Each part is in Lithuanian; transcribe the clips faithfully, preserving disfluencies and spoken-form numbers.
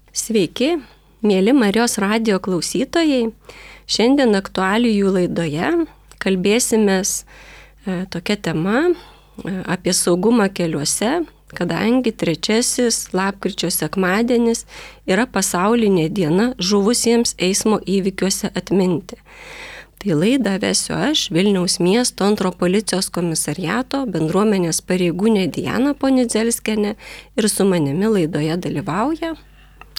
Sveiki, mėly Marijos radijo klausytojai. Šiandien aktualijų laidoje kalbėsimės e, tokia tema e, apie saugumą keliuose, kadangi trečiasis lapkričio sekmadienis yra pasaulinė diena žuvusiems eismo įvykiuose atminti. Tai laidą vesiu aš, Vilniaus miesto antro policijos komisariato bendruomenės pareigūnė Diana Ponidzelskienė, ir su manimi laidoje dalyvauja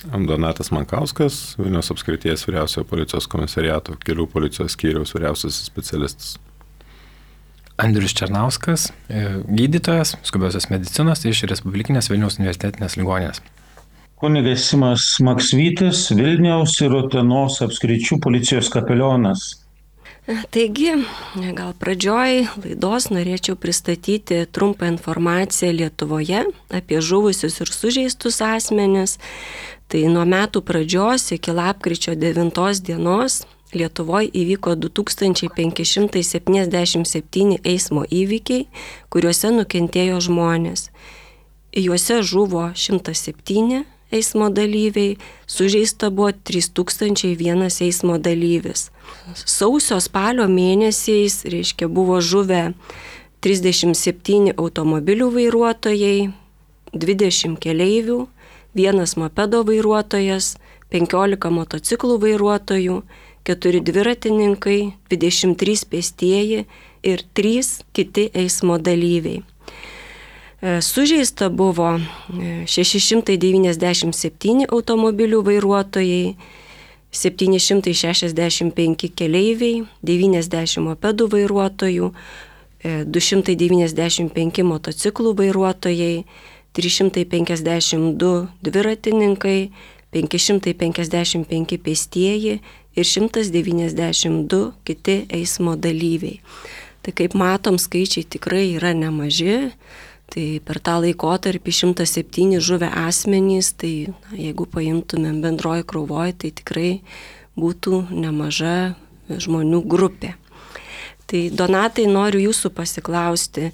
Donatas Mankauskas, Vilniaus apskrities vyriausiojo policijos komisariato kelių policijos skyriaus vyriausiasis specialistas. Andrius Černauskas, gydytojas skubiosios medicinos iš Respublikinės Vilniaus universitetinės ligoninės. Kunigas Simas Maksvytis, Vilniaus ir Utenos apskričių policijos kapelionas. Taigi, gal pradžioj laidos norėčiau pristatyti trumpą informaciją Lietuvoje apie žuvusius ir sužeistus asmenis. Tai nuo metų pradžios iki lapkričio devintos dienos Lietuvoje įvyko du tūkstančiai penki šimtai septyniasdešimt septyni eismo įvykiai, kuriuose nukentėjo žmonės. Juose žuvo šimtas septyni eismo dalyviai, sužeista buvo trys tūkstančiai vienas eismo dalyvis. Sausio spalio mėnesiais, reiškia, buvo žuvę trisdešimt septyni automobilių vairuotojai, dvidešimt keleivių, vienas mopedo vairuotojas, penkiolika motociklų vairuotojų, keturi dviratininkai, dvidešimt trys pėstieji ir trys kiti eismo dalyviai. Sužeista buvo šeši šimtai devyniasdešimt septyni automobilių vairuotojai, septyni šimtai šešiasdešimt penki keleiviai, devyniasdešimt mopedų vairuotojų, du šimtai devyniasdešimt penki motociklų vairuotojai, trys šimtai penkiasdešimt du dviratininkai, penki šimtai penkiasdešimt penki pėstieji ir šimtas devyniasdešimt du kiti eismo dalyviai. Tai kaip matom, skaičiai tikrai yra nemaži. Tai per tą laikotarpį šimtas septyni žuvę asmenys, tai na, jeigu paimtumėm bendroji krauvoje, tai tikrai būtų nemaža žmonių grupė. Tai Donatai, noriu jūsų pasiklausti,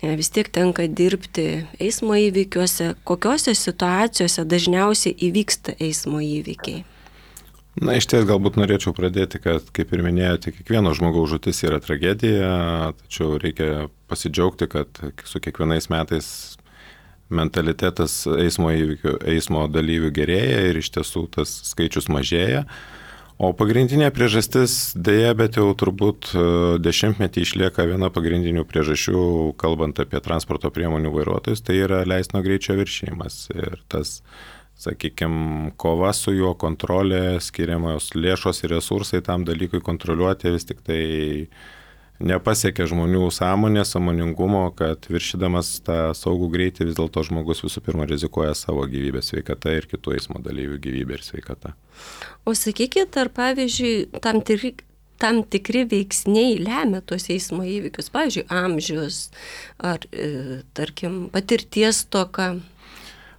vis tiek tenka dirbti eismo įvykiuose, kokiose situacijose dažniausiai įvyksta eismo įvykiai? Na, iš ties galbūt norėčiau pradėti, kad, kaip ir minėjote, kiekvieno žmogaus žūtis yra tragedija, tačiau reikia pasidžiaugti, kad su kiekvienais metais mentalitetas eismo įvykių, eismo dalyvių gerėja ir iš tiesų tas skaičius mažėja. O pagrindinė priežastis, dėja, bet jau turbūt dešimtmetį išlieka viena pagrindinių priežasčių, kalbant apie transporto priemonių vairuotojus, tai yra leistino greičio viršijimas. Ir tas, sakykime, kova su juo, kontrolė, skiriamos lėšos ir resursai tam dalykui kontroliuoti vis tik tai nepasiekia žmonių sąmonės, sąmoningumo, kad viršydamas tą saugų greitį vis dėlto žmogus visų pirma rizikuoja savo gyvybę, sveikatą ir kitų eismo dalyvių gyvybę ir sveikatą. O sakykit, ar pavyzdžiui, tam tikri, tam tikri veiksniai lemia tuos eismo įvykius, pavyzdžiui, amžius ar, e, tarkim, patirties stoka?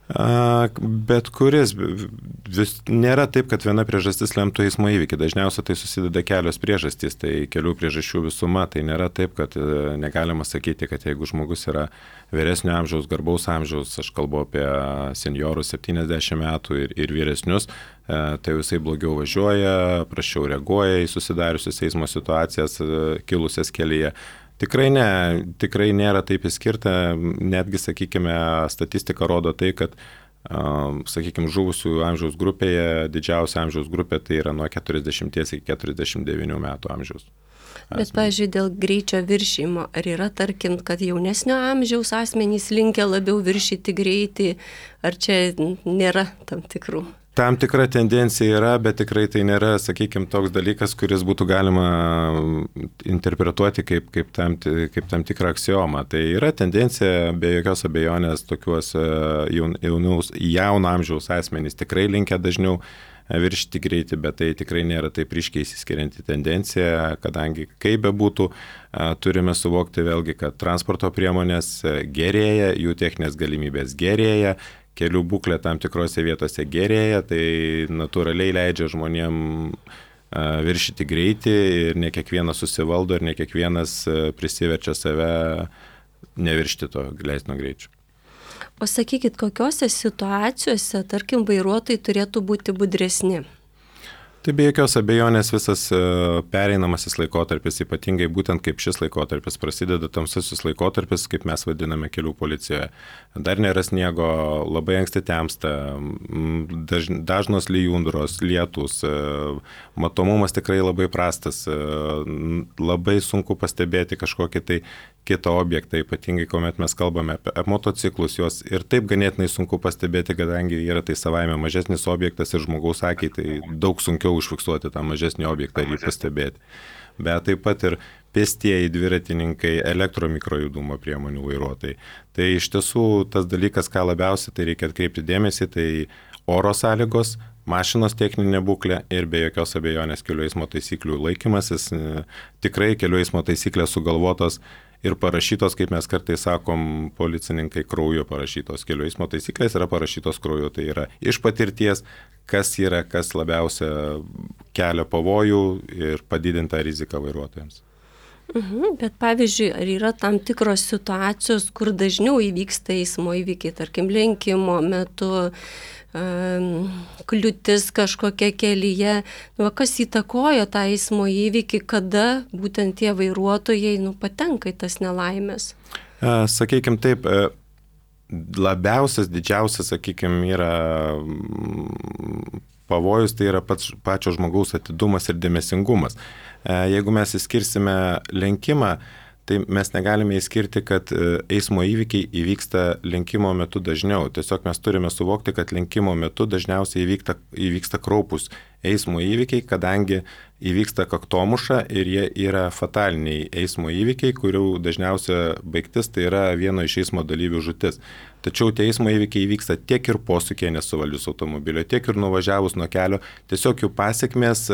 Bet kuris, vis, nėra taip, kad viena priežastis lemtų eismo įvykį. Dažniausiai tai susideda kelios priežastys, tai kelių priežasčių visuma. Tai nėra taip, kad negalima sakyti, kad jeigu žmogus yra vyresnio amžiaus, garbaus amžiaus, aš kalbu apie seniorus septyniasdešimt metų ir, ir vyresnius, tai visai blogiau važiuoja, prašiau reaguoja į susidariusias eismo situacijas kilusias kelyje. Tikrai ne, tikrai nėra taip įskirta, netgi, sakykime, statistika rodo tai, kad, sakykime, žuvusių amžiaus grupėje, didžiausia amžiaus grupė tai yra nuo keturiasdešimt iki keturiasdešimt devynių metų amžiaus. Bet, pavyzdžiui, dėl greičio viršymo, ar yra, tarkim, kad jaunesnio amžiaus asmenys linkia labiau viršyti greitį, ar čia nėra tam tikrų? Tam tikra tendencija yra, bet tikrai tai nėra, sakykime, toks dalykas, kuris būtų galima interpretuoti kaip, kaip, tam, kaip tam tikrą aksiomą. Tai yra tendencija, be jokios abejonės, tokiuos jaunus, jauno amžiaus asmenys tikrai linkia dažniau viršyti greitį, bet tai tikrai nėra taip ryškiai išsiskirianti tendencija, kadangi kaip bebūtų, turime suvokti vėlgi, kad transporto priemonės gerėja, jų techninės galimybės gerėja, kelių būklė tam tikrose vietose gerėja, tai natūraliai leidžia žmonėm viršyti greitį ir ne kiekvienas susivaldo ir ne kiekvienas prisiverčia save neviršti to leistino greičio. O sakykit, kokiose situacijose, tarkim, vairuotojai turėtų būti budresni? Tai be jokios abejonės visas pereinamasis laikotarpis, ypatingai būtent kaip šis laikotarpis, prasideda tamsusis laikotarpis, kaip mes vadiname kelių policijoje. Dar nėra sniego, labai anksti temsta, daž, dažnos lijundros, lietus, matomumas tikrai labai prastas, labai sunku pastebėti kažkokį tai kitą objektą, ypatingai kuomet mes kalbame apie motociklus, juos ir taip ganėtinai sunku pastebėti, kadangi yra tai savaime mažesnis objektas ir žmogaus akiai tai daug sunkiau užfiksuoti tą mažesnį objektą ir jį pastebėti. Bet taip pat ir pėstieji, dviratininkai, elektromikrojudumo priemonių vairuotojai. Tai iš tiesų tas dalykas, ką labiausiai tai reikia atkreipti dėmesį, tai oro sąlygos, mašinos techninė būklė ir be jokios abejonės kelių eismo taisyklių laikymasis. Tikrai kelių eismo taisyklės sugalvotos ir parašytos, kaip mes kartais sakom, policininkai krauju parašytos. Kelių eismo taisyklės yra parašytos krauju, tai yra iš patirties, kas yra, kas labiausia kelia pavojų ir padidintą riziką vairuotojams. Mhm, bet pavyzdžiui, ar yra tam tikros situacijos, kur dažniau įvyksta eismo įvykiai, tarkim, lenkimo metu, um, kliūtis kažkokia kelyje, nu, kas įtakoja tą eismo įvykį, kada būtent tie vairuotojai nu, patenka į tas nelaimės? Sakykime taip, labiausias, didžiausias, sakykime, yra pavojus, tai yra pats, pačio žmogaus atidumas ir dėmesingumas. Jeigu mes įskirsime lenkimą, tai mes negalime įskirti, kad eismo įvykiai įvyksta lenkimo metu dažniau. Tiesiog mes turime suvokti, kad lenkimo metu dažniausiai įvyksta, įvyksta kraupus eismo įvykiai, kadangi įvyksta kaktomuša ir jie yra fataliniai eismo įvykiai, kurių dažniausia baigtis tai yra vieno iš eismo dalyvių žūtis. Tačiau tie eismo įvykiai įvyksta tiek ir posūkyje nesuvaldžius automobilio, tiek ir nuvažiavus nuo kelio. Tiesiog jų pasiekmės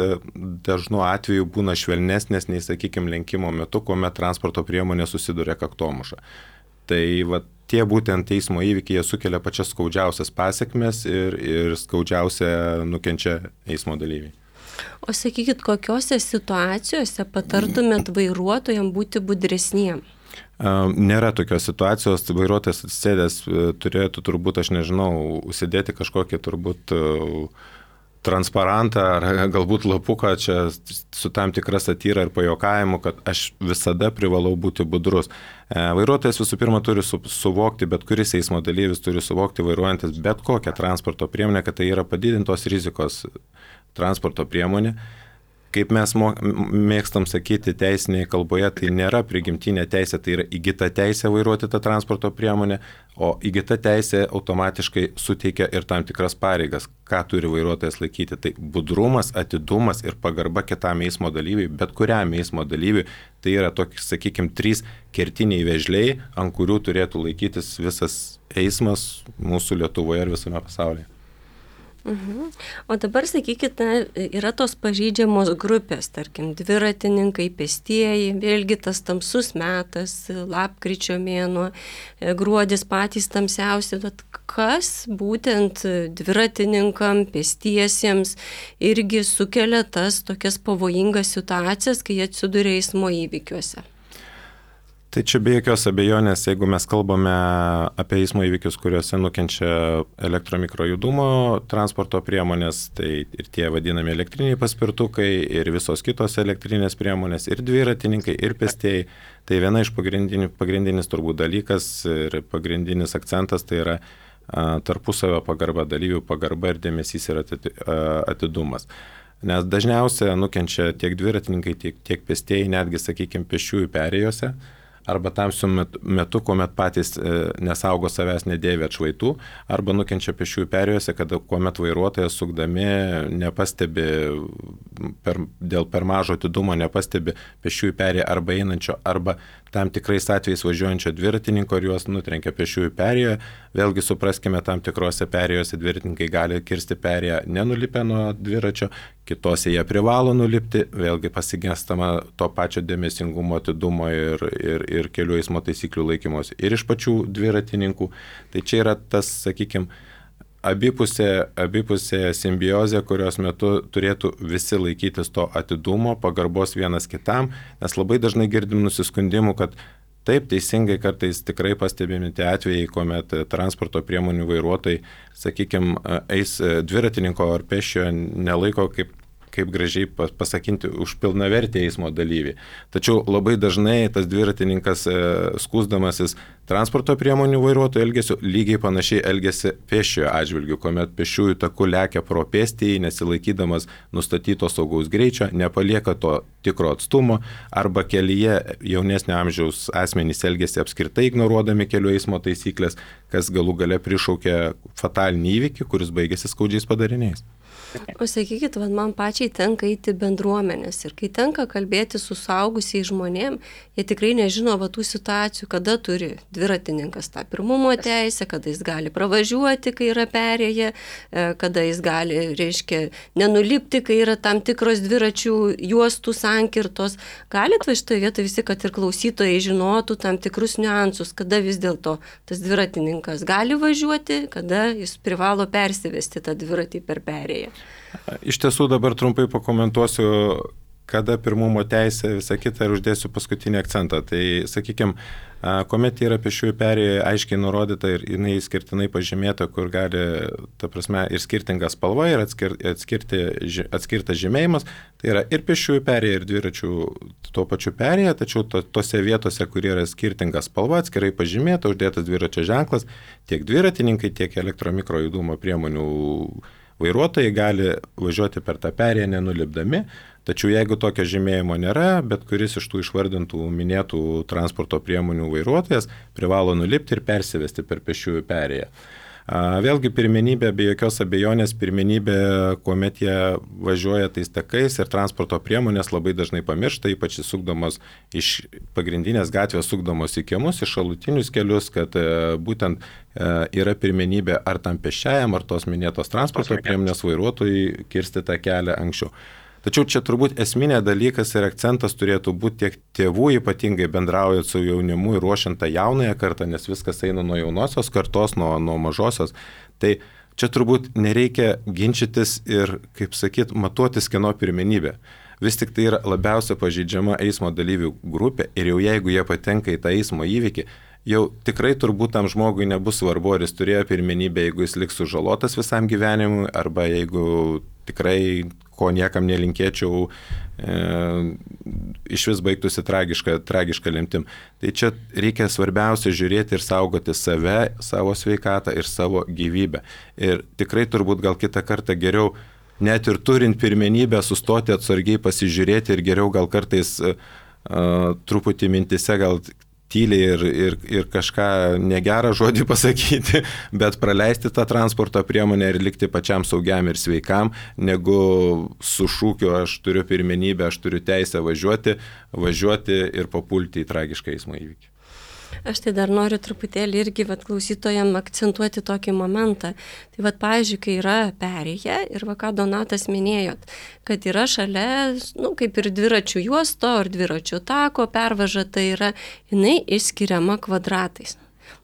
dažnu atveju būna švelnesnės nei, sakykime, lenkimo metu, kuomet transporto priemonė susiduria kaktomuša. Tai va, tie būtent eismo įvykiai sukelia pačias skaudžiausias pasiekmes ir, ir skaudžiausia nukenčia eismo dalyviai. O sakykit, kokiose situacijose patartumėt vairuotojams būti budresniem? Nėra tokios situacijos, vairuotojas atsisėdęs turėtų turbūt, aš nežinau, užsidėti kažkokį turbūt transparantą ar galbūt lapuką čia su tam tikra satyra ir pajuokavimu, kad aš visada privalau būti budrus. Vairuotojas visų pirma turi su, suvokti, bet kuris eismo dalyvis turi suvokti, vairuojantis bet kokią transporto priemonę, kad tai yra padidintos rizikos transporto priemonė. Kaip mes mėgstam sakyti teisinėje kalboje, tai nėra prigimtinė teisė, tai yra įgyta teisė vairuoti tą transporto priemonę, o įgyta teisė automatiškai suteikia ir tam tikras pareigas, ką turi vairuotojas laikyti. Tai budrumas, atidumas ir pagarba kitam eismo dalyviui, bet kuriam eismo dalyviui, tai yra tokie, sakykime, trys kertiniai vėžliai, ant kurių turėtų laikytis visas eismas mūsų Lietuvoje ir visame pasaulyje. Mhm. O dabar, sakykite, yra tos pažeidžiamos grupės, tarkim, dviratininkai, pėstieji, vėlgi tas tamsus metas, lapkričio mėnuo, gruodis patys tamsiausi, bet kas būtent dviratininkam, pėstiesiems irgi sukelia tas tokias pavojingas situacijas, kai jie atsiduria eismo įvykiuose? Tai čia be jokios abejonės, jeigu mes kalbame apie eismo įvykius, kuriuose nukenčia elektromikrojudumo transporto priemonės, tai ir tie vadinami elektriniai paspirtukai, ir visos kitos elektrinės priemonės, ir dviratininkai, ir pėstieji, tai viena iš pagrindinių, pagrindinis turbūt dalykas ir pagrindinis akcentas tai yra a, tarpusavio pagarba, dalyvių pagarba ir dėmesys ir atidumas. Nes dažniausiai nukenčia tiek dviratininkai, tiek, tiek pėstieji, netgi, sakykime, pėsčiųjų perėjose, arba tamsiu metu, kuomet patys nesaugo savęs, nedėvi atšvaitų, arba nukenčia pėsčiųjų perėjose, kada kuomet vairuotojas sukdami nepastebi, per, dėl per mažo atidumo nepastebi pėsčiųjų perėją arba einančio, arba tam tikrais atvejais važiuojančio dviratininko ir juos nutrenkia pėsčiųjų perėjoje. Vėlgi supraskime, tam tikrose perėjose dviratininkai gali kirsti perėją nenulipę nuo dviračio, kitose jie privalo nulipti, vėlgi pasigestama to pačio dėmesingumo, atidumo ir, ir, ir kelių eismo taisyklių laikymosi ir iš pačių dviratininkų. Tai čia yra tas, sakykime, abipusė, abipusė simbiozė, kurios metu turėtų visi laikytis to atidumo, pagarbos vienas kitam, nes labai dažnai girdim nusiskundimų, kad taip, teisingai kartais tikrai pastebimi tie atvejai, kuomet transporto priemonių vairuotojai, sakykime, eis dviratininko ar pėsčiojo nelaiko kaip kaip gražiai pasakinti, už pilnavertį eismo dalyvį. Tačiau labai dažnai tas dviratininkas skųsdamasis transporto priemonių vairuotojų elgesiu lygiai panašiai elgesi pėsčiojo atžvilgiu, kuomet pėsčiųjų taku lekia pro pėstįjį, nesilaikydamas nustatyto saugaus greičio, nepalieka to tikro atstumo, arba kelyje jaunesnio amžiaus asmenys elgesi apskritai ignoruodami kelių eismo taisyklės, kas galų gale prišaukia fatalinį įvykį, kuris baigėsi skaudžiais padariniais. O sakykit, va, man pačiai tenka eiti bendruomenės ir kai tenka kalbėti su suaugusiais žmonėm, jie tikrai nežino va, tų situacijų, kada turi dviratininkas tą pirmumo teisę, kada jis gali pravažiuoti, kai yra perėję, kada jis gali, reiškia, nenulipti, kai yra tam tikros dviračių juostų sankirtos. Galit va šitoje vietoje visi, kad ir klausytojai žinotų tam tikrus niuansus, kada vis dėlto tas dviratininkas gali važiuoti, kada jis privalo persivesti tą dviratį per perėją. Iš tiesų dabar trumpai pakomentuosiu, kada pirmumo teisė, visą kitą ir uždėsiu paskutinį akcentą. Tai, sakykime, kuomet yra pėsčiųjų perėja aiškiai nurodyta ir jinai skirtinai pažymėta, kur gali, ta prasme, ir skirtinga spalva, ir atskir, atskirti, atskirtas žymėjimas, tai yra ir pėsčiųjų perėja, ir dviračių tuo pačiu perėja, tačiau to, tose vietose, kur yra skirtinga spalva, atskirai pažymėta, uždėtas dviračio ženklas, tiek dviratininkai, tiek elektromikro judumo priemonių vairuotojai gali važiuoti per tą perėją nenulipdami, tačiau jeigu tokio žymėjimo nėra, bet kuris iš tų išvardintų minėtų transporto priemonių vairuotojas privalo nulipti ir persivesti per pėsčiųjų perėją. Vėlgi pirmenybė, be jokios abejonės, pirmenybė, kuomet jie važiuoja tais takais ir transporto priemonės labai dažnai pamiršta, ypač sukdamos iš pagrindinės gatvės, sukdamos į kiemus, į šalutinius kelius, kad būtent yra pirmenybė ar tam pėsčiajam, ar tos minėtos transporto priemonės vairuotojai kirsti tą kelią anksčiau. Tačiau čia turbūt esminė dalykas ir akcentas turėtų būti tiek tėvų, ypatingai bendraujant su jaunimu ir ruošiant tą jaunąją kartą, nes viskas eina nuo jaunosios kartos, nuo, nuo mažosios. Tai čia turbūt nereikia ginčytis ir, kaip sakyt, matuotis kieno pirmenybė. Vis tik tai yra labiausia pažeidžiama eismo dalyvių grupė ir jau jeigu jie patenka į tą eismo įvykį, jau tikrai turbūt tam žmogui nebus svarbu, ar jis turėjo pirmenybę, jeigu jis liks sužalotas visam gyvenimui, arba jeigu tikrai, ko niekam nelinkėčiau, e, iš vis baigtųsi tragiška, tragiška lemtim. Tai čia reikia svarbiausia žiūrėti ir saugoti save, savo sveikatą ir savo gyvybę. Ir tikrai turbūt gal kitą kartą geriau, net ir turint pirmenybę, sustoti atsargiai pasižiūrėti ir geriau gal kartais uh, truputį mintise gal tyliai ir, ir, ir kažką negerą žodį pasakyti, bet praleisti tą transporto priemonę ir likti pačiam saugiam ir sveikam, negu su šūkiu aš turiu pirmenybę, aš turiu teisę važiuoti, važiuoti ir papulti į tragišką eismo įvykį. Aš tai dar noriu truputėlį irgi vat, klausytojam akcentuoti tokį momentą. Tai vat, pavyzdžiui, kai yra perėja ir va, ką Donatas minėjot, kad yra šalia, nu, kaip ir dviračių juosto ar dviračių tako pervaža, tai yra jinai išskiriama kvadratais.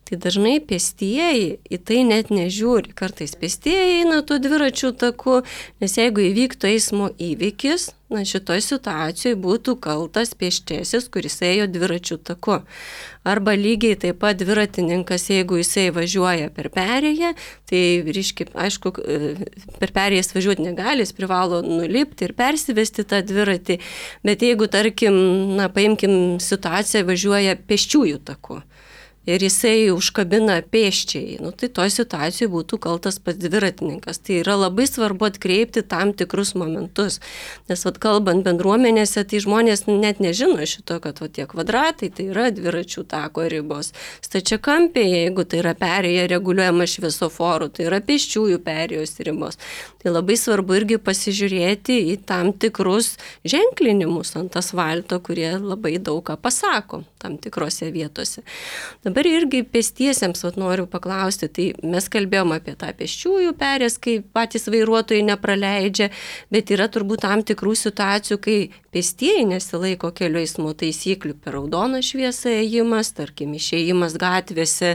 Tai dažnai pėstieji į tai net nežiūri. Kartais pėstieji eina tuo dviračių taku, nes jeigu įvyktų eismo įvykis, na šitoj situacijoje būtų kaltas pėsčiasis, kuris ėjo dviračių taku. Arba lygiai taip pat dviratininkas, jeigu jisai važiuoja per perėją, tai reiškia, aišku, per perėjas važiuoti negali, jis privalo nulipti ir persivesti tą dviratį, bet jeigu, tarkim, na, paimkim situaciją, važiuoja pėsčiųjų taku ir jisai užkabina pėsčiai, nu, tai toj situacijoje būtų kaltas pats dviratininkas. Tai yra labai svarbu atkreipti tam tikrus momentus, nes vat, kalbant bendruomenėse, tai žmonės net nežino šito, kad vat, tie kvadratai tai yra dviračių tako ribos. Stačiakampiai, jeigu tai yra perėja reguliuojama šviesoforų, tai yra pėsčiųjų perėjos ribos. Tai labai svarbu irgi pasižiūrėti į tam tikrus ženklinimus ant asfalto, kurie labai daug ką pasako tam tikrose vietose. Dabar irgi pėstiesiems vat, noriu paklausti, tai mes kalbėjom apie tą pėsčiųjų perės, kai patys vairuotojai nepraleidžia, bet yra turbūt tam tikrų situacijų, kai pėstieji nesilaiko kelių eismo taisyklių, per raudoną šviesą ėjimas, tarkim, išėjimas gatvėse,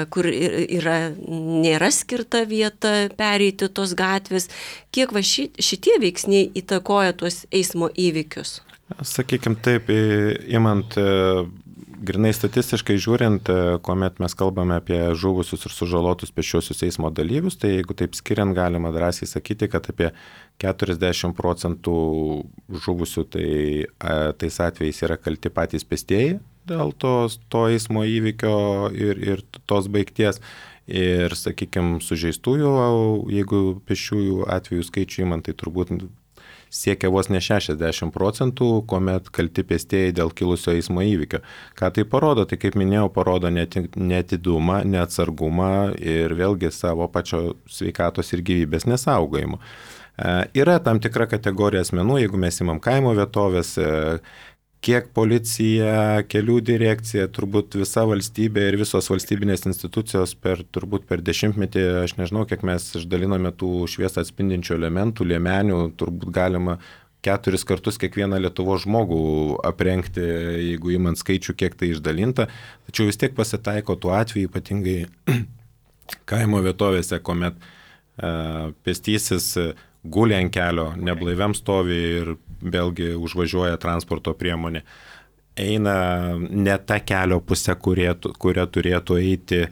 kur yra, nėra skirta vieta pereiti tos gatvės. Kiek va šitie veiksniai įtakoja tuos eismo įvykius? Sakykime taip, imant grinai statistiškai žiūrint, kuomet mes kalbame apie žuvusius ir sužalotus pėsčiuosius eismo dalyvius, tai jeigu taip skiriant, galima drąsiai sakyti, kad apie keturiasdešimt procentų žuvusių tai, tais atvejais yra kalti patys pėstieji dėl tos, to eismo įvykio ir, ir tos baigties. Ir, sakykime, sužeistųjų, jeigu pėsčiųjų atvejų skaičių įmant, tai turbūt siekia vos ne šešiasdešimt procentų, kuomet kalti pėstieji dėl kilusio eismo įvykio. Ką tai parodo? Tai, kaip minėjau, parodo neatidumą, neatsargumą ir vėlgi savo pačio sveikatos ir gyvybės nesaugojimo. E, yra tam tikra kategorija asmenų, jeigu mes imam kaimo vietovės, e, kiek policija, kelių direkcija, turbūt visa valstybė ir visos valstybinės institucijos per, turbūt per dešimtmetį, aš nežinau, kiek mes išdaliname tų šviesą atspindinčių elementų, liemenių, turbūt galima keturis kartus kiekvieną Lietuvos žmogų aprengti, jeigu imant skaičių, kiek tai išdalinta. Tačiau vis tiek pasitaiko tų atvejų, ypatingai kaimo vietovėse, kuomet e, pėstysis guli ant kelio, neblaiviam stovi ir vėlgi užvažiuoja transporto priemonė. Eina ne tą kelio pusę, kurie, kuria turėtų eiti,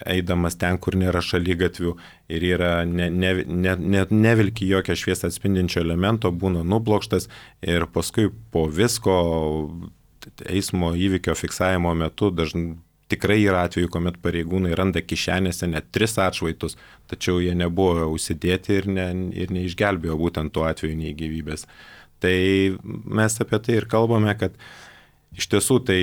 eidamas ten, kur nėra šaligatvių ir yra ne, ne, ne, ne, nevilki jokio šviesą atspindinčio elemento, būna nublokštas ir paskui po visko eismo įvykio fiksavimo metu dažnai tikrai yra atveju, kuomet pareigūnai randa kišenėse net tris atšvaitus, tačiau jie nebuvo užsidėti ir, ne, ir neišgelbėjo būtent tuo atveju nei gyvybės. Tai mes apie tai ir kalbame, kad iš tiesų tai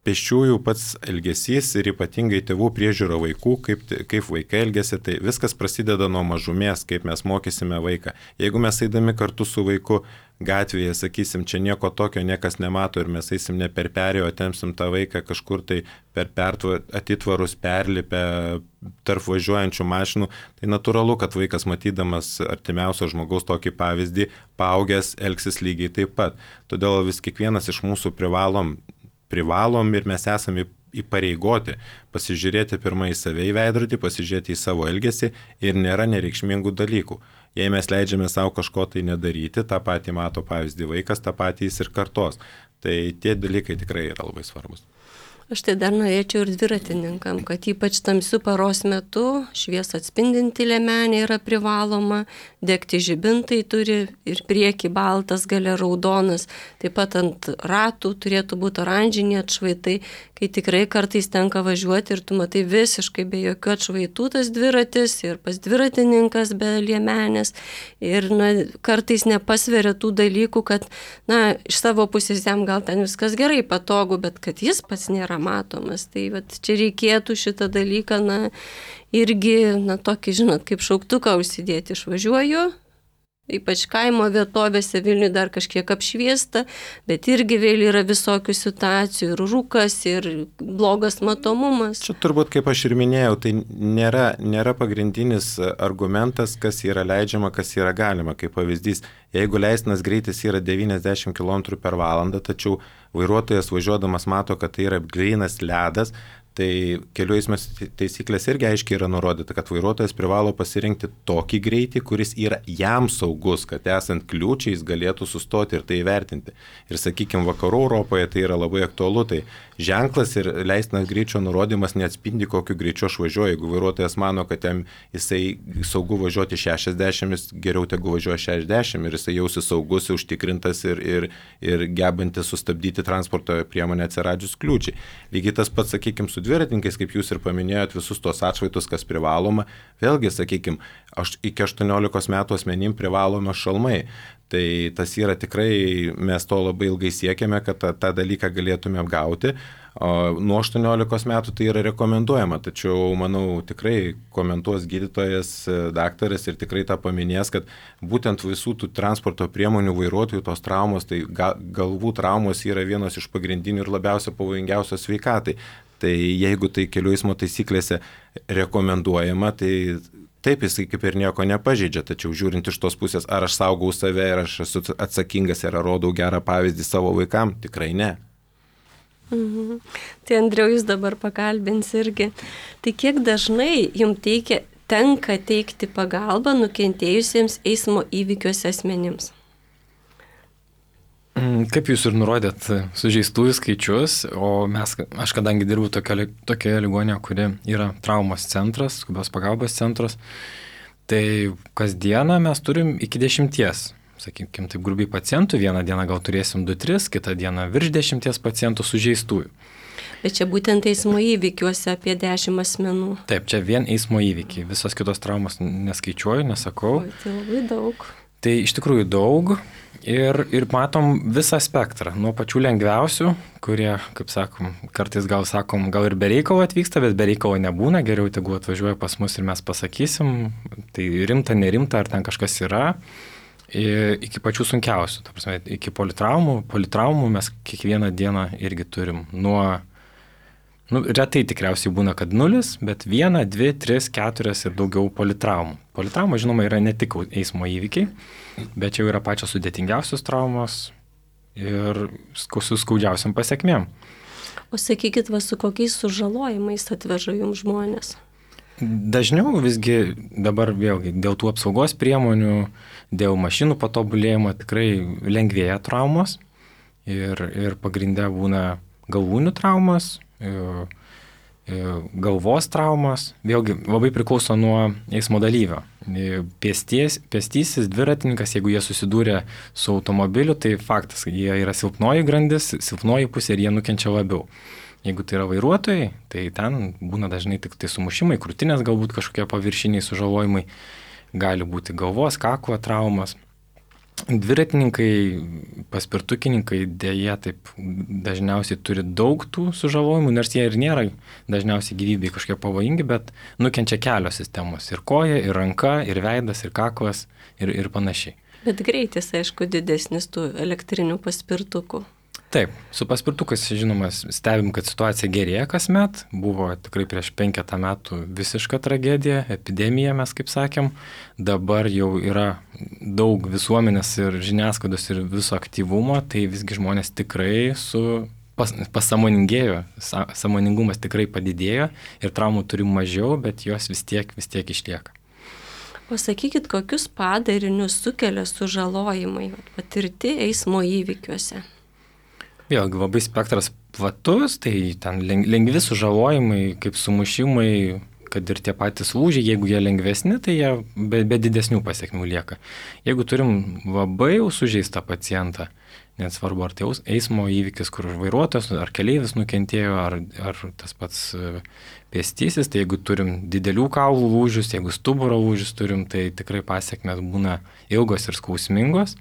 pėsčiųjų pats elgesys ir ypatingai tėvų priežiūra vaikų, kaip, kaip vaikai elgesi, tai viskas prasideda nuo mažumės, kaip mes mokysime vaiką. Jeigu mes eidami kartu su vaiku gatvėje, sakysim, čia nieko tokio niekas nemato ir mes eisim ne per perėjo, tempsim tą vaiką kažkur tai per pertvar, atitvarus perlipę tarp važiuojančių mašinų, tai natūralu, kad vaikas matydamas artimiausio žmogaus tokį pavyzdį, paaugęs elgsis lygiai taip pat. Todėl vis kiekvienas iš mūsų privalom privalom ir mes esame įpareigoti pasižiūrėti pirmą į save į veidrodį, pasižiūrėti į savo elgesį ir nėra nereikšmingų dalykų. Jei mes leidžiame savo kažko tai nedaryti, tą patį mato pavyzdį vaikas, tą patį jis ir kartos. Tai tie dalykai tikrai yra labai svarbus. Aš tai dar norėčiau ir dviratininkam, kad ypač tamsiu paros metu šviesą atspindinti liemenė yra privaloma, degti žibintai turi ir prieki baltas, gale raudonas, taip pat ant ratų turėtų būti oranžiniai atšvaitai, kai tikrai kartais tenka važiuoti ir tu matai visiškai be jokių atšvaitų tas dviratis ir pas dviratininkas be liemenės ir na, kartais nepasveria tų dalykų, kad na, iš savo pusės jam gal ten viskas gerai, patogu, bet kad jis pats nėra matomas. Tai vat, čia reikėtų šitą dalyką, na, irgi, na, tokį, žinot, kaip šauktuką užsidėti. Išvažiuoju, ypač kaimo vietovėse Vilniuje dar kažkiek apšviesta, bet irgi vėl yra visokių situacijų, ir rūkas, ir blogas matomumas. Čia turbūt, kaip aš ir minėjau, tai nėra, nėra pagrindinis argumentas, kas yra leidžiama, kas yra galima. Kaip pavyzdys, jeigu leistinas greitis yra devyniasdešimt kilometrų per valandą, tačiau vairuotojas važiuodamas mato, kad tai yra grynas ledas, tai kelių eismo taisyklės irgi aiškiai yra nurodyta, kad vairuotojas privalo pasirinkti tokį greitį, kuris yra jam saugus, kad esant kliūčiai jis galėtų sustoti ir tai įvertinti. Ir sakykime, vakarų Europoje tai yra labai aktualu, tai ženklas ir leistinas greičio nurodymas neatspindi, kokiu greičiu aš važiuoju. Jeigu vairuotojas mano, kad jam jisai saugu važiuoti šešiasdešimt, jis geriau tegu važiuoja šešiasdešimt ir jisai jausis saugus, užtikrintas ir, ir, ir gebantis sustabdyti transporto priemonę atsiradžius kliūčiai. Lygiai tas pats, sakykime, su dviratininkais, kaip jūs ir paminėjot, visus tos atšvaitus, kas privaloma. Vėlgi, sakykime, aš iki aštuoniolikos metų asmenim privalome šalmai. Tai tas yra tikrai, mes to labai ilgai siekiame, kad tą, tą dalyką galėtume apgauti. O nuo aštuoniolikos metų tai yra rekomenduojama, tačiau, manau, tikrai komentuos gydytojas, daktaras ir tikrai tą paminės, kad būtent visų tų transporto priemonių vairuotojų tos traumos, tai ga, galvų traumos yra vienos iš pagrindinių ir labiausia pavojingiausios sveikatai. Tai jeigu tai kelių eismo taisyklėse rekomenduojama, tai taip jisai kaip ir nieko nepažeidžia, tačiau žiūrint iš tos pusės, ar aš saugau save, ar aš esu atsakingas, ar rodau gerą pavyzdį savo vaikam, tikrai ne. Mhm. Tai Andriau, jūs dabar pakalbins irgi. Tai kiek dažnai jums teikia, tenka teikti pagalbą nukentėjusiems eismo įvykiuose asmenims? Kaip jūs ir nurodėt sužeistųjų skaičius, o mes, aš kadangi dirbu tokioje, tokioje ligonėje, kuri yra traumos centras, skubios pagalbos centras, tai kasdieną mes turim iki dešimties, sakykime, taip grubiai pacientų, vieną dieną gal turėsim du tris, kitą dieną virš dešimties pacientų sužeistųjų. Bet čia būtent eismo įvykiuose apie dešimt asmenų. Taip, čia vien eismo įvykiai, visos kitos traumos neskaičiuoju, nesakau. O, tai labai daug. Tai iš tikrųjų daug. Ir, ir matom visą spektrą, nuo pačių lengviausių, kurie, kaip sakom, kartais gal sakom, gal ir be reikalo atvyksta, bet be reikalo nebūna, geriau tegu atvažiuoja pas mus ir mes pasakysim, tai rimta, nerimta, ar ten kažkas yra, iki pačių sunkiausių, ta prasme, iki politraumų, politraumų mes kiekvieną dieną irgi turim nuo, nu, retai tikriausiai būna, kad nulis, bet viena, dvi, tris, keturias ir daugiau politraumų. Politrauma, žinoma, yra ne tik eismo įvykiai, bet jau yra pačios sudėtingiausios traumos ir su skaudžiausiam pasiekmėm. O sakykit, va, su kokiais sužalojimais atveža jums žmonės? Dažniau visgi dabar vėlgi dėl tų apsaugos priemonių, dėl mašinų patobulėjimo tikrai lengvėja traumos ir, ir pagrinde būna galvūnių traumos, galvos traumas, vėlgi labai priklauso nuo eismo dalyvio. Pėsties, pėstysis, dviratininkas, jeigu jie susidūrė su automobiliu, tai faktas, jie yra silpnoji grandis, silpnoji pusė ir jie nukenčia labiau. Jeigu tai yra vairuotojai, tai ten būna dažnai tik tai sumušimai, krūtinės galbūt kažkokie paviršiniai sužalojimai, gali būti galvos, kaklo traumas. Dviratininkai, paspirtukininkai dėja taip dažniausiai turi daug tų sužalojimų, nors jie ir nėra dažniausiai gyvybei kažkiek pavojingi, bet nukenčia kelios sistemos. Ir koja, ir ranka, ir veidas, ir kaklas, ir, ir panašiai. Bet greitis, aišku, didesnis tų elektrinių paspirtukų. Taip, su paspirtukais, žinoma, stebim, kad situacija gerėja kasmet. Buvo tikrai prieš penketą metų visiška tragedija, epidemija, mes kaip sakėm. Dabar jau yra daug visuomenės ir žiniasklaidos ir viso aktyvumo, tai visgi žmonės tikrai su pas, pasamoningėjo, sa, sąmoningumas tikrai padidėjo ir traumų turim mažiau, bet jos vis tiek, vis tiek išlieka. O sakykit, kokius padarinius sukelia sužalojimai patirti eismo įvykiuose? Vėlgi labai spektras platus, tai ten lengvi sužalojimai, kaip sumušimai, kad ir tie patys lūžiai, jeigu jie lengvesni, tai jie be, be didesnių pasiekmių lieka. Jeigu turim labai jau sužeistą pacientą, net svarbu, ar tai eismo įvykis, kur vairuotojas, ar keleivis nukentėjo, ar, ar tas pats pėstysis, tai jeigu turim didelių kaulų lūžius, jeigu stuburo lūžius turim, tai tikrai pasiekmės būna ilgos ir skausmingos.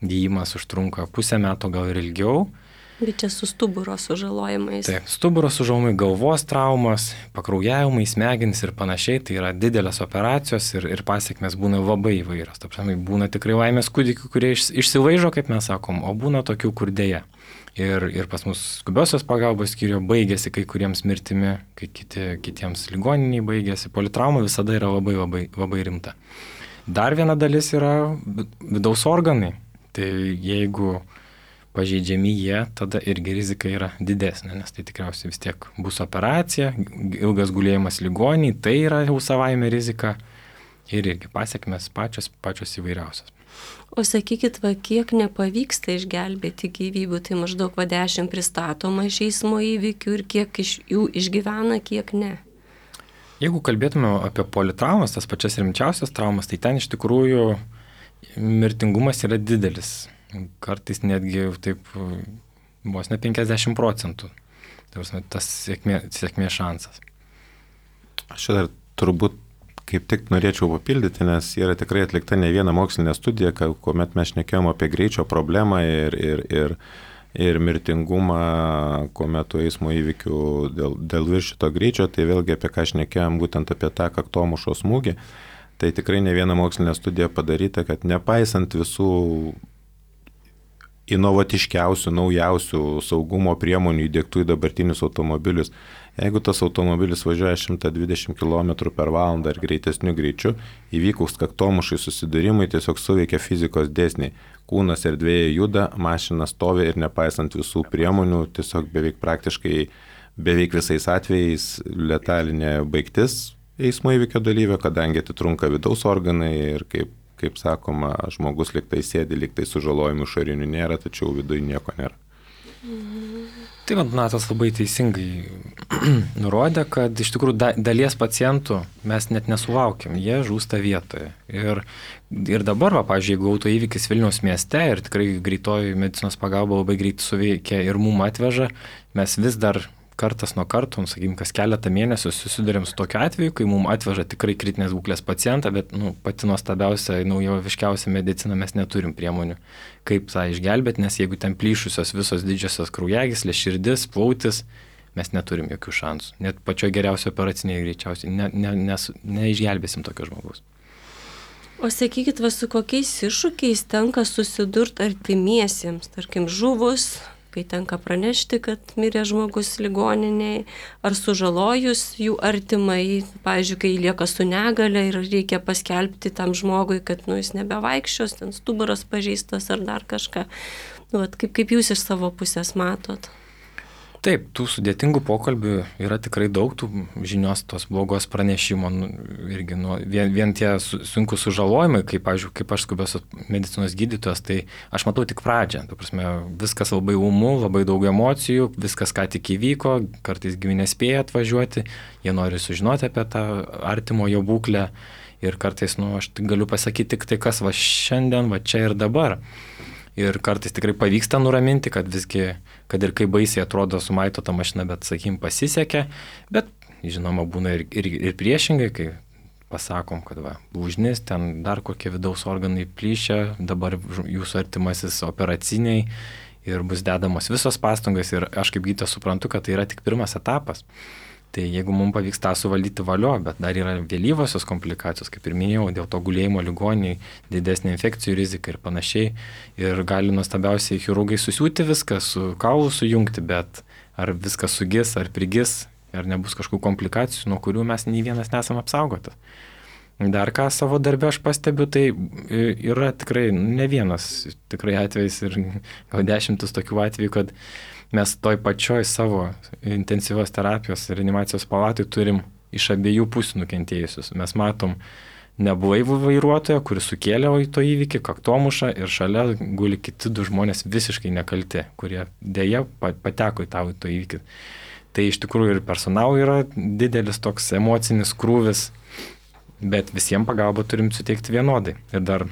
Gydymas užtrunka pusę metų, gal ir ilgiau. Bet čia su stuburo sužalojimais. Taip, stuburo sužalojimai, galvos traumas, pakraujavimai, smegenys ir panašiai, tai yra didelės operacijos ir, ir pasiekmes būna labai įvairios. Taip, būna tikrai laimės kūdikių, kurie iš, išsilaižo, kaip mes sakom, o būna tokių, kur dėja. Ir, ir pas mus skubiosios pagalbos skyriuje baigėsi kai kuriems mirtimi, kai kiti, kitiems ligoniniai baigėsi. Politrauma visada yra labai, labai, labai rimta. Dar viena dalis yra vidaus organai. Tai jeigu pažeidžiami jie, tada irgi rizika yra didesnė, nes tai tikriausiai vis tiek bus operacija, ilgas gulėjimas ligoniai, tai yra jau savaime rizika ir irgi pasiekmes pačios, pačios įvairiausios. O sakykit, va, kiek nepavyksta išgelbėti gyvybių, tai maždaug va dešimt pristatoma iš eismo įvykių ir kiek iš jų išgyvena, kiek ne. Jeigu kalbėtume apie politraumas, tas pačias rimčiausias traumas, tai ten iš tikrųjų mirtingumas yra didelis. Kartais netgi taip vos ne penkiasdešimt procentų. Tas sėkmė, sėkmė šansas. Aš čia dar turbūt kaip tik norėčiau papildyti, nes yra tikrai atlikta ne viena mokslinė studija, kuomet mes šnekėjom apie greičio problemą ir, ir, ir, ir mirtingumą, kuomet eismo įvykių dėl, dėl viršito greičio, tai vėlgi apie ką šnekėjom, būtent apie tą kaktomušo smūgį. Tai tikrai ne viena mokslinė studija padaryta, kad nepaisant visų inovatiškiausių, naujausių saugumo priemonių įdiegtų į dabartinius automobilius. Jeigu tas automobilis važiuoja šimtas dvidešimt kilometrų per valandą ir greitesniu greičiu, įvykus kaktomušai susidūrimai tiesiog suveikia fizikos dėsniai. Kūnas erdvėje juda, mašina stovi ir nepaisant visų priemonių, tiesiog beveik praktiškai, beveik visais atvejais letalinė baigtis eismo įvykio dalyvio, kadangi atitrunka vidaus organai ir kaip kaip sakoma, žmogus liktai sėdi, liktai sužalojimų išorinių nėra, tačiau viduje nieko nėra. Tai man Donatas labai teisingai nurodė, kad iš tikrųjų da, dalies pacientų mes net nesulaukiam, jie žūsta vietoje. Ir, ir dabar, va, pavyzdžiui, jeigu autoįvykis Vilniaus mieste ir tikrai greitoji medicinos pagalba labai greit suveikia ir mum atveža, mes vis dar kartas nuo karto, sakykim, kas keletą mėnesių susidurėm su tokiu atveju, kai mums atveža tikrai kritinės būklės pacientą, bet nu, pati nuostabiausia, naujoviškiausia medicina mes neturim priemonių, kaip tą išgelbėti, nes jeigu ten plyšusios visos didžiosios kraujagyslės, širdis, plautis, mes neturim jokių šansų. Net pačioj geriausiai operaciniai greičiausiai ne, ne, nes, neišgelbėsim tokio žmogaus. O sakykit, va, su kokiais iššūkiais tenka susidurti artimiesiems, tarkim, žuvus, kai tenka pranešti, kad mirė žmogus ligoninėje, ar sužalojus jų artimai, pavyzdžiui, kai lieka su negale ir reikia paskelbti tam žmogui, kad nu, jis nebevaikščios, ten stuburas pažeistas ar dar kažką. Nu, vat, kaip, kaip jūs iš savo pusės matot? Taip, tų sudėtingų pokalbių yra tikrai daug, tų žinios tos blogos pranešimo, nu, irgi nu, vien, vien tie sunku sužalojimai, kaip, pavyzdžiui, kaip aš skubios medicinos gydytojas, tai aš matau tik pradžią. Ta prasme, viskas labai ūmu, labai daug emocijų, viskas ką tik įvyko, kartais giminės spėja atvažiuoti, jie nori sužinoti apie tą artimojo būklę ir kartais, nu, aš galiu pasakyti tik tai, kas va šiandien, va čia ir dabar. Ir kartais tikrai pavyksta nuraminti, kad visgi, kad ir kaip baisiai atrodo sumaito ta mašina, bet, sakykim, pasisekė, bet, žinoma, būna ir, ir, ir priešingai, kai pasakom, kad va, lūžnis, ten dar kokie vidaus organai plyšia, dabar jūsų artimasis operaciniai ir bus dedamos visos pastangos ir aš kaip gydytojas suprantu, kad tai yra tik pirmas etapas. Tai jeigu mums pavyks tą suvaldyti valio, bet dar yra vėlyvosios komplikacijos, kaip ir minėjau, dėl to gulėjimo ligoniai, didesnė infekcijų rizika ir panašiai. Ir gali nuostabiausiai chirurgai susiūti viską, su kaulu sujungti, bet ar viskas sugis, ar prigis, ar nebus kažkokių komplikacijų, nuo kurių mes nei vienas nesam apsaugotas. Dar ką savo darbę aš pastebiu, tai yra tikrai ne vienas tikrai atvejs ir gal dešimtis tokių atvejų, kad mes toj pačioj savo intensyvios terapijos ir reanimacijos palatoj turim iš abiejų pusių nukentėjusius. Mes matom neblaivų vairuotoją, kuris sukėlė to įvykį, kaktomušą ir šalia guli kiti du žmonės visiškai nekalti, kurie dėja pateko į tą to įvykį. Tai iš tikrųjų ir personalui yra didelis toks emocinis krūvis, bet visiems pagalbą turim suteikti vienodai. Ir dar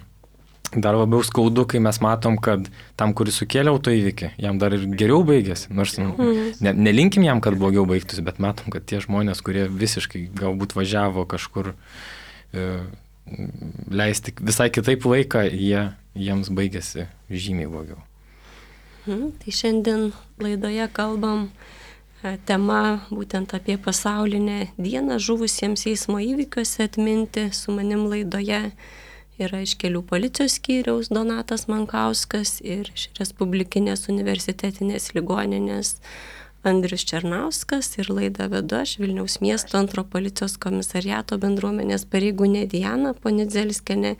Dar labiau skaudu, kai mes matom, kad tam, kuris sukėlė autoįvykį, jam dar ir geriau baigėsi. Nors ne, nelinkim jam, kad blogiau baigtųsi, bet matom, kad tie žmonės, kurie visiškai galbūt važiavo kažkur e, leisti visai kitaip laiką, jie, jiems baigėsi žymiai blogiau. Hmm, tai šiandien laidoje kalbam tema būtent apie pasaulinę dieną žuvusiems eismo įvykiuose atminti. Su manim laidoje yra iš Kelių policijos skyriaus Donatas Mankauskas ir iš Respublikinės universitetinės ligoninės Andrius Černauskas ir laidą vedu aš Vilniaus miesto antro policijos komisariato bendruomenės pareigūnė Diana Ponidzelskienė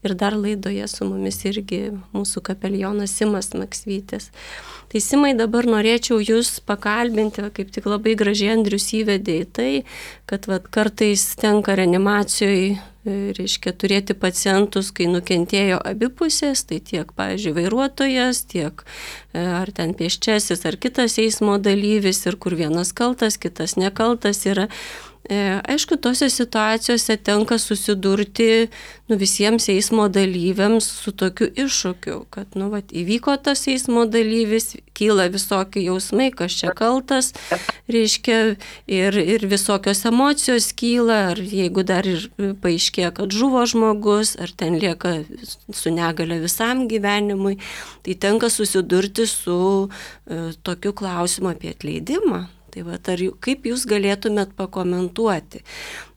ir dar laidoje su mumis irgi mūsų kapelionas Simas Maksvytis. Tai Simai, dabar norėčiau jūs pakalbinti, kaip tik labai gražiai Andrius įvedė į tai, kad vat, kartais tenka reanimacijoje, reiškia, turėti pacientus, kai nukentėjo abi pusės, tai tiek, pavyzdžiui, vairuotojas, tiek ar ten pėsčiasis, ar kitas eismo dalyvis, ir kur vienas kaltas, kitas nekaltas yra. Aišku, tose situacijose tenka susidurti nu, visiems eismo dalyviams su tokiu iššūkiu, kad nu, vat, įvyko tas eismo dalyvis, kyla visokie jausmai, kas čia kaltas, reiškia, ir, ir visokios emocijos kyla, ar jeigu dar ir paaiškėja, kad žuvo žmogus, ar ten lieka su negale visam gyvenimui, tai tenka susidurti su e, tokiu klausimu apie atleidimą. Tai va, ar, kaip jūs galėtumėt pakomentuoti?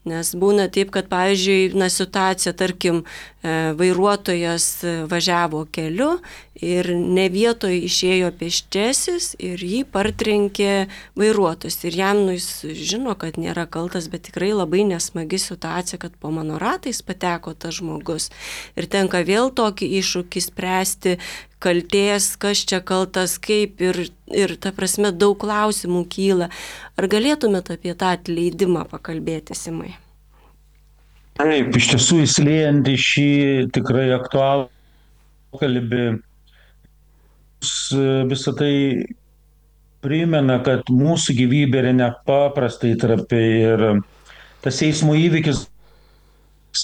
Nes būna taip, kad, pavyzdžiui, na, situacija, tarkim, vairuotojas važiavo keliu ir ne vietoje išėjo pėsčiasis ir jį partrenkė vairuotojas. Ir jam, nu, jis žino, kad nėra kaltas, bet tikrai labai nesmagi situacija, kad po mano ratais pateko tas žmogus. Ir tenka vėl tokį iššūkį spręsti, kaltės, kas čia kaltas, kaip ir, ir ta prasme, daug klausimų kyla. Ar galėtumėt apie tą atleidimą pakalbėti, Simai? Taip, iš tiesų įsiliejant į šį tikrai aktualų pokalbį, visą tai primena, kad mūsų gyvybė yra nepaprastai trapi ir tas eismo įvykis,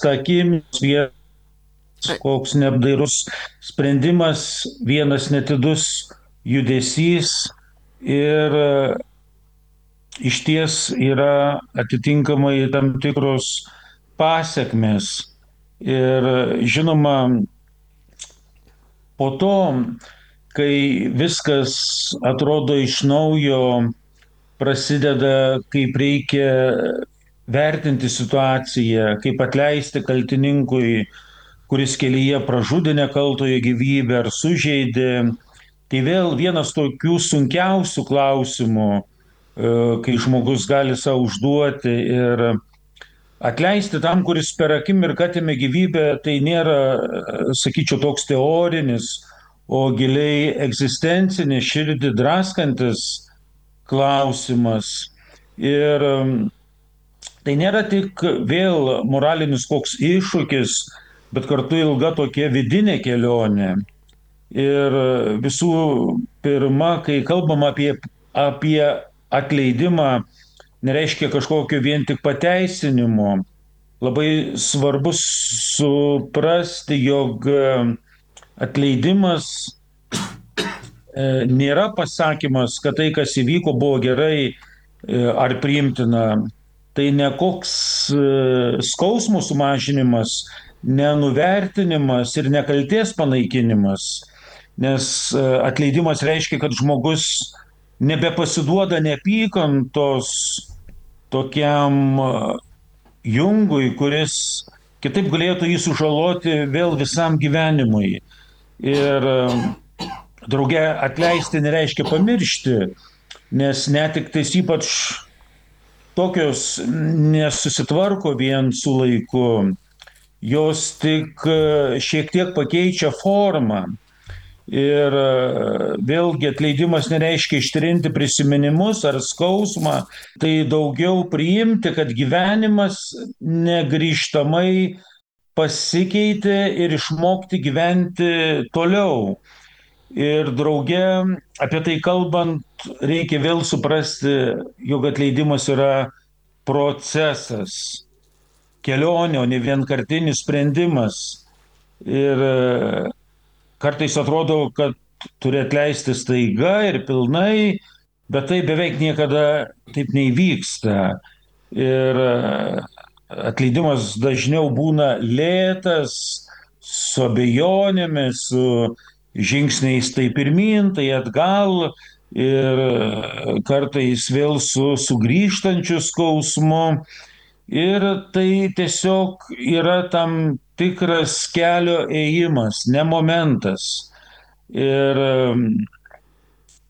ta akimirka, koks neapdairus sprendimas, vienas netidus judesys ir išties yra atitinkamai tam tikros pasekmės. Ir žinoma, po to, kai viskas atrodo iš naujo, prasideda, kaip reikia vertinti situaciją, kaip atleisti kaltininkui, kuris kelyje pražudė nekaltojo gyvybę ar sužeidė. Tai vėl vienas tokių sunkiausių klausimų, kai žmogus gali savo užduoti. Ir atleisti tam, kuris per akimirką atėmė gyvybę, tai nėra, sakyčiau, toks teorinis, o giliai egzistencinis, širdį draskantis klausimas. Ir tai nėra tik vėl moralinis koks iššūkis, bet kartu ilga tokia vidinė kelionė. Ir visų pirma, kai kalbam apie, apie atleidimą, nereiškia kažkokio vien tik pateisinimo. Labai svarbu suprasti, jog atleidimas nėra pasakymas, kad tai, kas įvyko, buvo gerai ar priimtina. Tai ne koks skausmo sumažinimas, nenuvertinimas ir nekaltės panaikinimas. Nes atleidimas reiškia, kad žmogus nebepasiduoda neapykantos tokiam jungui, kuris kitaip galėtų jį sužaloti vėl visam gyvenimui. Ir drauge atleisti nereiškia pamiršti, nes netektis ypač tokios nesusitvarko vien su laiku, jos tik šiek tiek pakeičia formą. Ir vėlgi atleidimas nereiškia ištrinti prisiminimus ar skausmą, tai daugiau priimti, kad gyvenimas negrįžtamai pasikeitė ir išmokti gyventi toliau. Ir drauge apie tai kalbant, reikia vėl suprasti, jog atleidimas yra procesas, kelionė, o ne vienkartinis sprendimas. Ir kartais atrodo, kad turi atleisti staiga ir pilnai, bet tai beveik niekada taip neįvyksta. Ir atleidimas dažniau būna lėtas, su abejonėmis, su žingsniais tai pirmyn, tai atgal ir kartais vėl su sugrįžtančiu skausmu. Ir tai tiesiog yra tam tikras kelio ėjimas, ne momentas. Ir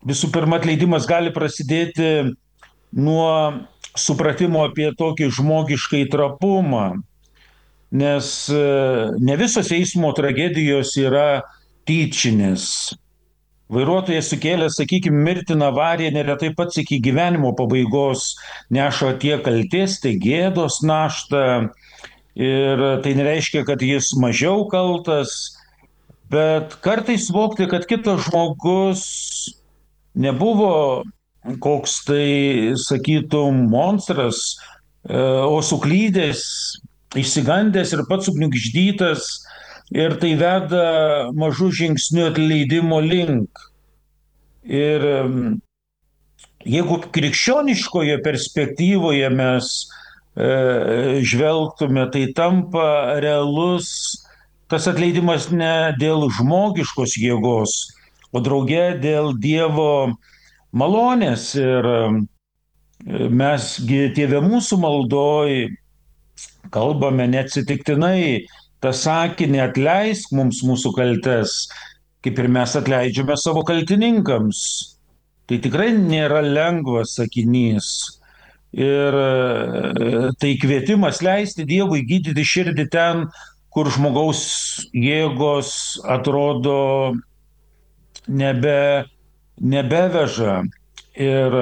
visų pirma, atleidimas gali prasidėti nuo supratimo apie tokį žmogiškai trapumą, nes ne visos eismo tragedijos yra tyčinės. Vairuotojas sukėlęs, sakykime, mirtiną avariją neretai pats iki gyvenimo pabaigos neša tiek kaltės, tiek gėdos naštą. Ir tai nereiškia, kad jis mažiau kaltas, bet kartais suvokti, kad kitas žmogus nebuvo koks tai, sakytum, monstras, o suklydęs, išsigandęs ir pats sugniuždytas. Ir tai veda mažų žingsnių atleidimo link. Ir jeigu krikščioniškoje perspektyvoje mes e, žvelgtume, tai tampa realus tas atleidimas ne dėl žmogiškos jėgos, o drauge dėl Dievo malonės. Ir mesgi Tėve mūsų maldoj kalbame neatsitiktinai tą sakinį atleisk mums mūsų kaltes, kaip ir mes atleidžiame savo kaltininkams. Tai tikrai nėra lengvas sakinys. Ir tai kvietimas leisti Dievui gydyti širdį ten, kur žmogaus jėgos atrodo nebe, nebeveža. Ir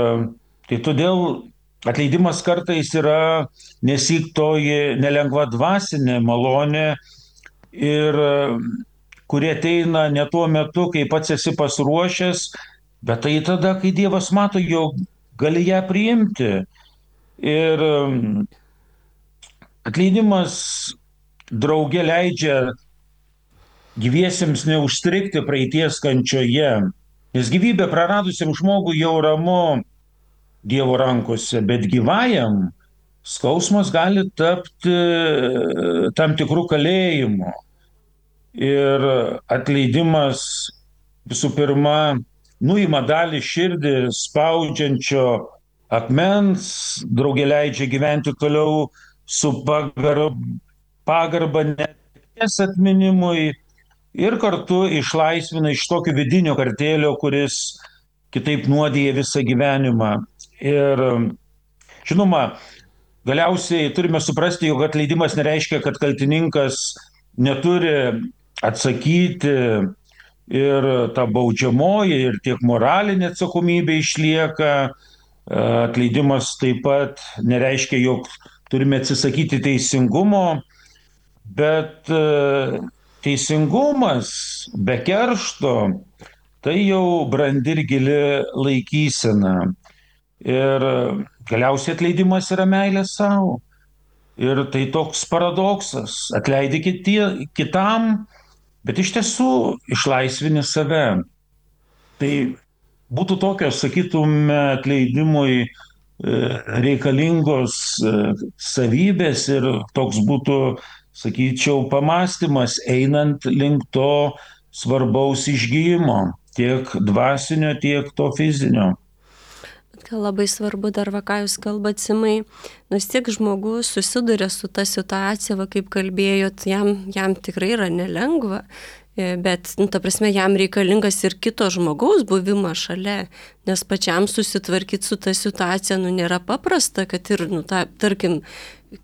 tai todėl atleidimas kartais yra nesyk toji nelengva dvasinė malonė ir kurie ateina ne tuo metu, kai pats esi pasiruošęs, bet tai tada, kai Dievas mato, jog gali ją priimti. Ir atleidimas drauge leidžia gyviesiems neužstrigti praeities kančioje, nes gyvybė praradusiam žmogui jau ramu Dievo rankose, bet gyvajam skausmas gali tapti tam tikrų kalėjimų. Ir atleidimas visų pirma nuima dalį širdį spaudžiančio akmens, draugė leidžia gyventi toliau su pagarba, pagarba netekties atminimui ir kartu išlaisvina iš tokio vidinio kartėlio, kuris kitaip nuodija visą gyvenimą. Ir žinoma, galiausiai turime suprasti, jog atleidimas nereiškia, kad kaltininkas neturi atsakyti ir ta baudžiamoji, ir tiek moralinė atsakomybė išlieka. Atleidimas taip pat nereiškia, jog turime atsisakyti teisingumo, bet teisingumas be keršto tai jau brandi ir gili laikysena. Ir galiausiai atleidimas yra meilė savo. Ir tai toks paradoksas. Atleidi kitie, kitam, bet iš tiesų išlaisvini save. Tai būtų tokios, sakytume, atleidimui reikalingos savybės ir toks būtų, sakyčiau, pamąstymas einant link to svarbaus išgyjimo, tiek dvasinio, tiek to fizinio. Labai svarbu dar, va, ką jūs kalbat, Simai, nors tiek žmogus susiduria su ta situacija, va, kaip kalbėjot, jam, jam tikrai yra nelengva, bet, nu, ta prasme, jam reikalingas ir kito žmogaus buvimas šalia, nes pačiam susitvarkyti su ta situacija, nu, nėra paprasta, kad ir, nu, ta, tarkim,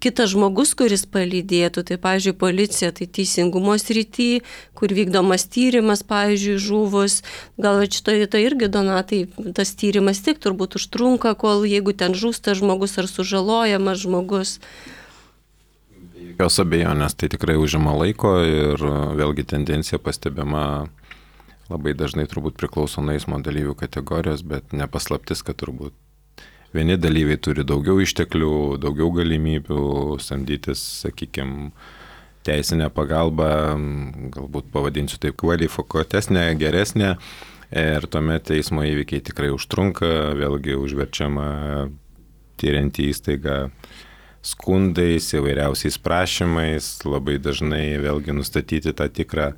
kitas žmogus, kuris palydėtų, tai, pavyzdžiui, policija, tai teisingumo srity, kur vykdomas tyrimas, pavyzdžiui, žuvus, gal šitoje tai irgi, Donatai, tas tyrimas tik turbūt užtrunka, kol jeigu ten žūsta žmogus ar sužalojamas žmogus. Jokios abejonės, tai tikrai užima laiko ir vėlgi tendencija pastebima labai dažnai turbūt priklauso nuo eismo dalyvių kategorijos, bet nepaslaptis, kad turbūt vieni dalyviai turi daugiau išteklių, daugiau galimybių samdytis, sakykime, teisinę pagalbą, galbūt pavadinsiu taip kvalifikuotesnė, geresnė, ir tuomet eismo įvykiai tikrai užtrunka, vėlgi užverčiama tyrianti įstaiga skundais, įvairiausiais prašymais, labai dažnai vėlgi nustatyti tą tikrą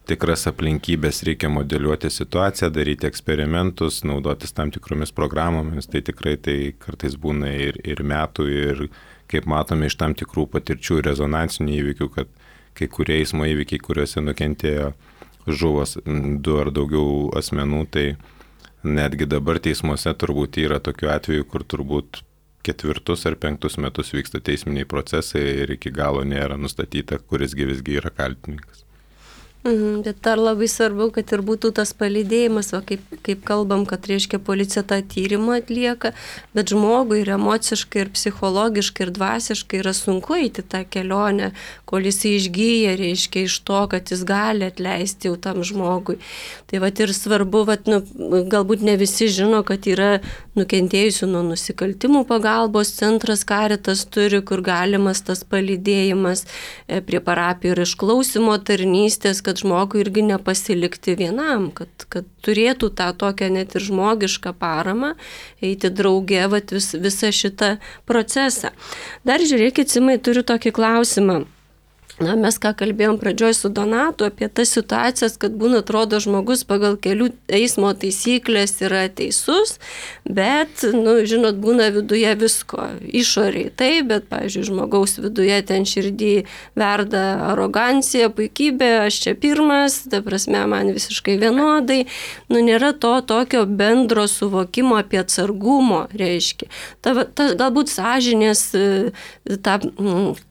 tikras aplinkybės, reikia modeliuoti situaciją, daryti eksperimentus, naudotis tam tikromis programomis, tai tikrai tai kartais būna ir, ir metų, ir kaip matome iš tam tikrų patirčių ir rezonansinių įvykių, kad kai kurie eismo įvykiai, kuriuose nukentėjo žuvos du ar daugiau asmenų, tai netgi dabar teismuose turbūt yra tokių atvejų, kur turbūt ketvirtus ar penktus metus vyksta teisminiai procesai ir iki galo nėra nustatyta, kurisgi visgi yra kaltininkas. Mhm, bet dar labai svarbu, kad ir būtų tas palydėjimas, va, kaip, kaip kalbam, kad reiškia policija tą tyrimą atlieka, bet žmogui ir emociškai, ir psichologiškai, ir dvasiškai yra sunku eiti tą kelionę, kol jis išgyja, reiškia iš to, kad jis gali atleisti jau tam žmogui. Tai va ir svarbu, va, nu, galbūt ne visi žino, kad yra nukentėjusių nuo nusikaltimų pagalbos centras Caritas turi, kur galimas tas palydėjimas prie parapijų ir išklausimo tarnystės, kad žmogui irgi nepasilikti vienam, kad, kad turėtų tą tokią net ir žmogišką paramą, eiti drauge vat, vis, visą šitą procesą. Dar žiūrėkit, Simai, turiu tokį klausimą. Na, mes ką kalbėjom pradžioj su Donatu apie tas situacijas, kad būna atrodo žmogus pagal kelių eismo taisyklės yra teisus, bet, nu, žinot, būna viduje visko, išoriai taip, bet, pavyzdžiui, žmogaus viduje ten širdį verda arogancija, puikybė, aš čia pirmas, ta prasme, man visiškai vienodai, nu, nėra to tokio bendro suvokimo apie atsargumo, reiškia. Ta, ta, galbūt sąžinės tą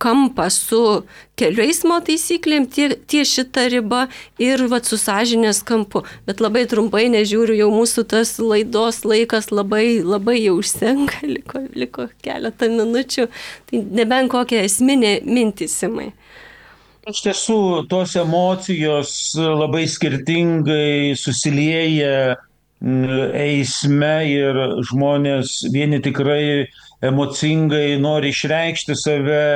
kampą su kelių eismo taisyklėm, tie, tie šita riba ir vat, su sąžinės kampu. Bet labai trumpai nežiūriu, jau mūsų tas laidos laikas labai, labai jau užsenka, liko, liko keletą minučių. Tai nebent kokią esminę mintį, Simai. Iš tiesų, tos emocijos labai skirtingai susilieja eisme ir žmonės vieni tikrai emocingai nori išreikšti save,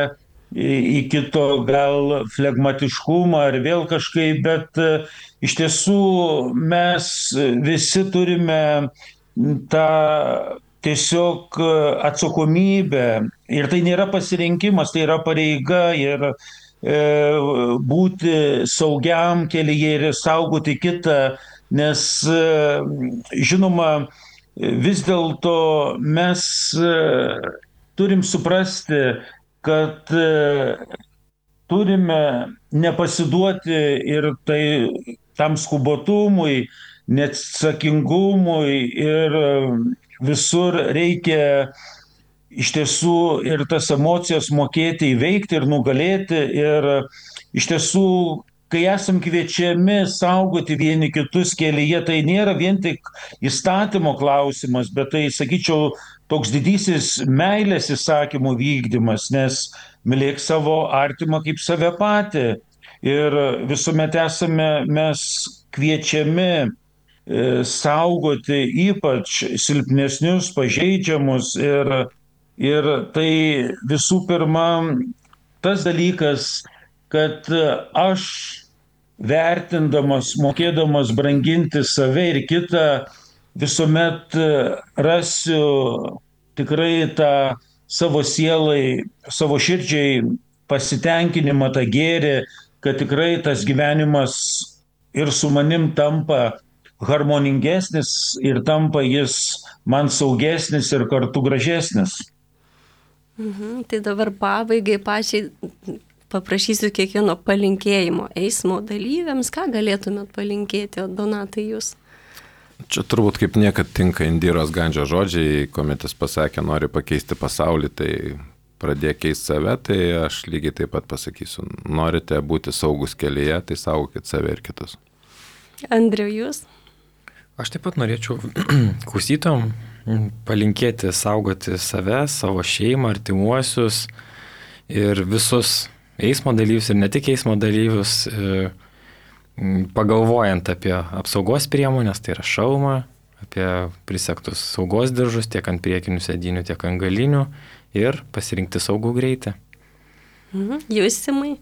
į kito gal flegmatiškumą ar vėl kažkaip, bet iš tiesų mes visi turime tą tiesiog atsakomybę ir tai nėra pasirinkimas, tai yra pareiga ir e, būti saugiam kelyje ir saugoti kitą, nes e, žinoma, vis dėlto mes e, turim suprasti, kad turime nepasiduoti ir tai tam skubotumui, neatsakingumui ir visur reikia iš tiesų ir tas emocijas mokėti įveikti ir nugalėti. Ir iš tiesų, kai esam kviečiami saugoti vieni kitus kelyje, tai nėra vien tik įstatymo klausimas, bet tai, sakyčiau, toks didysis meilės įsakymų vykdymas, nes mylėk savo artimą kaip save patį. Ir visuomet esame mes kviečiami e, saugoti ypač silpnesnius, pažeidžiamus. Ir, ir tai visų pirma tas dalykas, kad aš vertindamas, mokėdamas branginti save ir kitą, visuomet rasiu tikrai tą savo sielai, savo širdžiai pasitenkinimą, tą gėrį, kad tikrai tas gyvenimas ir su manim tampa harmoningesnis ir tampa jis man saugesnis ir kartu gražesnis. Mhm, tai dabar pabaigai pačiai paprašysiu kiekvieno palinkėjimo eismo dalyviams. Ką galėtumėt palinkėti, Donatai, jūs? Čia turbūt kaip niekad tinka Indiros Gandžio žodžiai, kuomet jis pasakė, nori pakeisti pasaulį, tai pradėk keisti save, tai aš lygiai taip pat pasakysiu, norite būti saugus kelyje, tai saugokit save ir kitus. Andriau, jūs? Aš taip pat norėčiau klausytom palinkėti saugoti save, savo šeimą, artimuosius ir visus eismo dalyvius ir ne tik eismo dalyvius, pagalvojant apie apsaugos priemonės, tai yra šalmą, apie prisegtus saugos diržus tiek ant priekinių sėdynių, tiek ant galinių ir pasirinkti saugų greitį. Mhm. Jūs, Simai?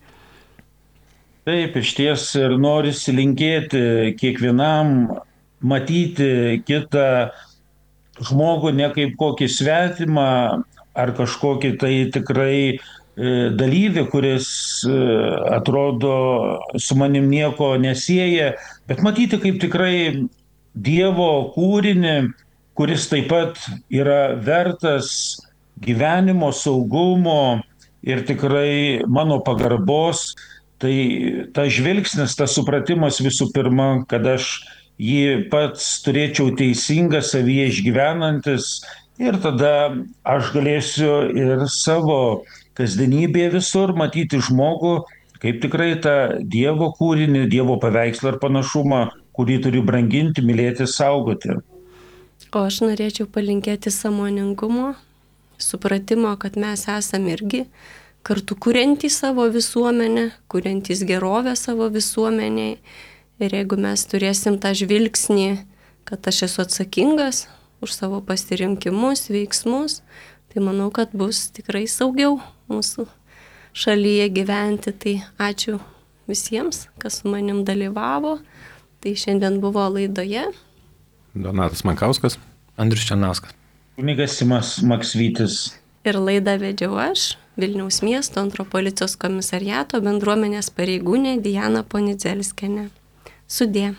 Taip, iš ties ir norisi linkėti kiekvienam matyti kitą žmogų ne kaip kokį svetimą ar kažkokį tai tikrai dalyvį, kuris atrodo su manim nieko nesieja, bet matyti kaip tikrai Dievo kūrinį, kuris taip pat yra vertas gyvenimo, saugumo ir tikrai mano pagarbos. Tai tas žvilgsnis, tas supratimas visų pirma, kad aš jį pats turėčiau teisingą savyje išgyvenantis ir tada aš galėsiu ir savo kasdienybėje visur matyti žmogų kaip tikrai tą Dievo kūrinį, Dievo paveikslą ir panašumą, kurį turiu branginti, mylėti, saugoti. O aš norėčiau palinkėti sąmoningumo, supratimo, kad mes esame irgi kartu kuriantys savo visuomenę, kuriantys gerovę savo visuomeniai. Ir jeigu mes turėsim tą žvilgsnį, kad aš esu atsakingas už savo pasirinkimus, veiksmus, tai manau, kad bus tikrai saugiau mūsų šalyje gyventi. Tai ačiū visiems, kas su manim dalyvavo. Tai šiandien buvo laidoje Donatas Mankauskas, Andrius Černauskas, kunigas Simas Maksvytis. Ir laidą vedžiau aš, Vilniaus miesto antro policijos komisariato bendruomenės pareigūnė Diana Ponidzelskienė. Sudie.